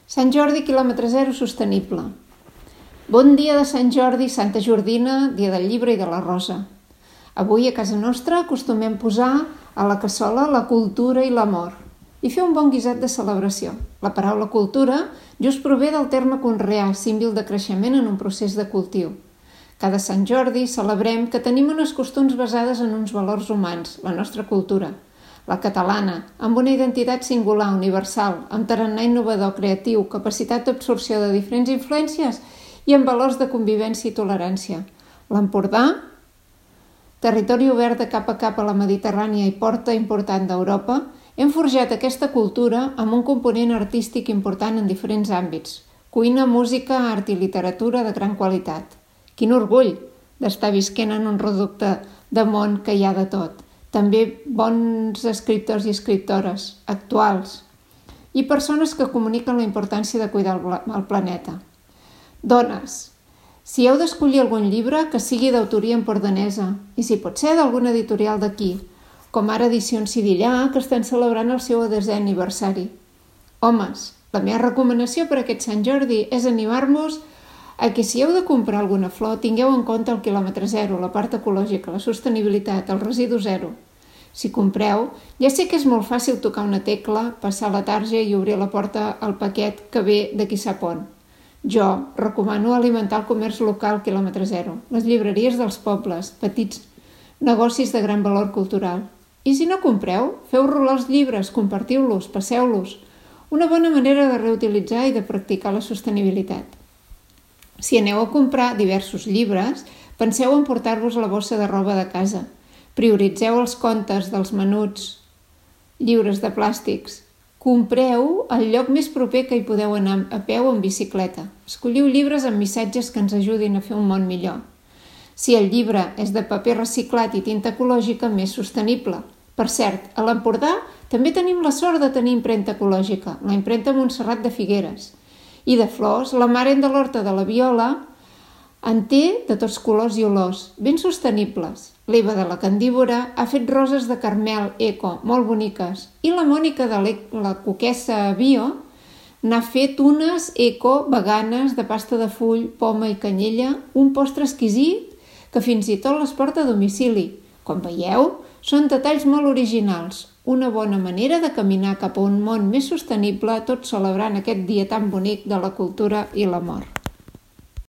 Sant Jordi, quilòmetre zero sostenible. Bon dia de Sant Jordi, Santa Jordina, dia del llibre i de la rosa. Avui a casa nostra acostumem posar a la cassola la cultura i l'amor i fer un bon guisat de celebració. La paraula cultura just prové del terme conrear, símbol de creixement en un procés de cultiu. Cada Sant Jordi celebrem que tenim unes costums basades en uns valors humans, la nostra cultura, la catalana, amb una identitat singular, universal, amb tarannà innovador, creatiu, capacitat d'absorció de diferents influències i amb valors de convivència i tolerància. L'Empordà, territori obert de cap a cap a la Mediterrània i porta important d'Europa, hem forjat aquesta cultura amb un component artístic important en diferents àmbits: cuina, música, art i literatura de gran qualitat. Quin orgull d'estar visquent en un reducte de món que hi ha de tot. També bons escriptors i escriptores actuals i persones que comuniquen la importància de cuidar el planeta. Dones, si heu d'escollir algun llibre, que sigui d'autoria empordanesa i si pot ser d'algun editorial d'aquí, com ara Edicions Sidillà, que estan celebrant el seu 10è aniversari. Homes, la meva recomanació per aquest Sant Jordi és animar-vos a que si heu de comprar alguna flor tingueu en compte el quilòmetre zero, la part ecològica, la sostenibilitat, el residu zero. Si compreu, ja sé que és molt fàcil tocar una tecla, passar la tarja i obrir la porta al paquet que ve de qui sap on. Jo recomano alimentar el comerç local quilòmetre zero, les llibreries dels pobles, petits negocis de gran valor cultural. I si no compreu, feu rolar els llibres, compartiu-los, passeu-los. Una bona manera de reutilitzar i de practicar la sostenibilitat. Si aneu a comprar diversos llibres, penseu en portar-vos la bossa de roba de casa. Prioritzeu els comptes dels menuts lliures de plàstics. Compreu al lloc més proper que hi podeu anar a peu o en bicicleta. Escolliu llibres amb missatges que ens ajudin a fer un món millor. Si el llibre és de paper reciclat i tinta ecològica, més sostenible. Per cert, a l'Empordà també tenim la sort de tenir impremta ecològica, la impremta Montserrat de Figueres. I de flors, la Mare de l'Horta de la Viola en té de tots colors i olors, ben sostenibles. L'Eva de la Candívora ha fet roses de carmel eco, molt boniques. I la Mònica de la Coquessa Bio n'ha fet unes eco veganes de pasta de full, poma i canyella, un postre exquisit que fins i tot les porta a domicili. Com veieu, són detalls molt originals. Una bona manera de caminar cap a un món més sostenible, tot celebrant aquest dia tan bonic de la cultura i l'amor.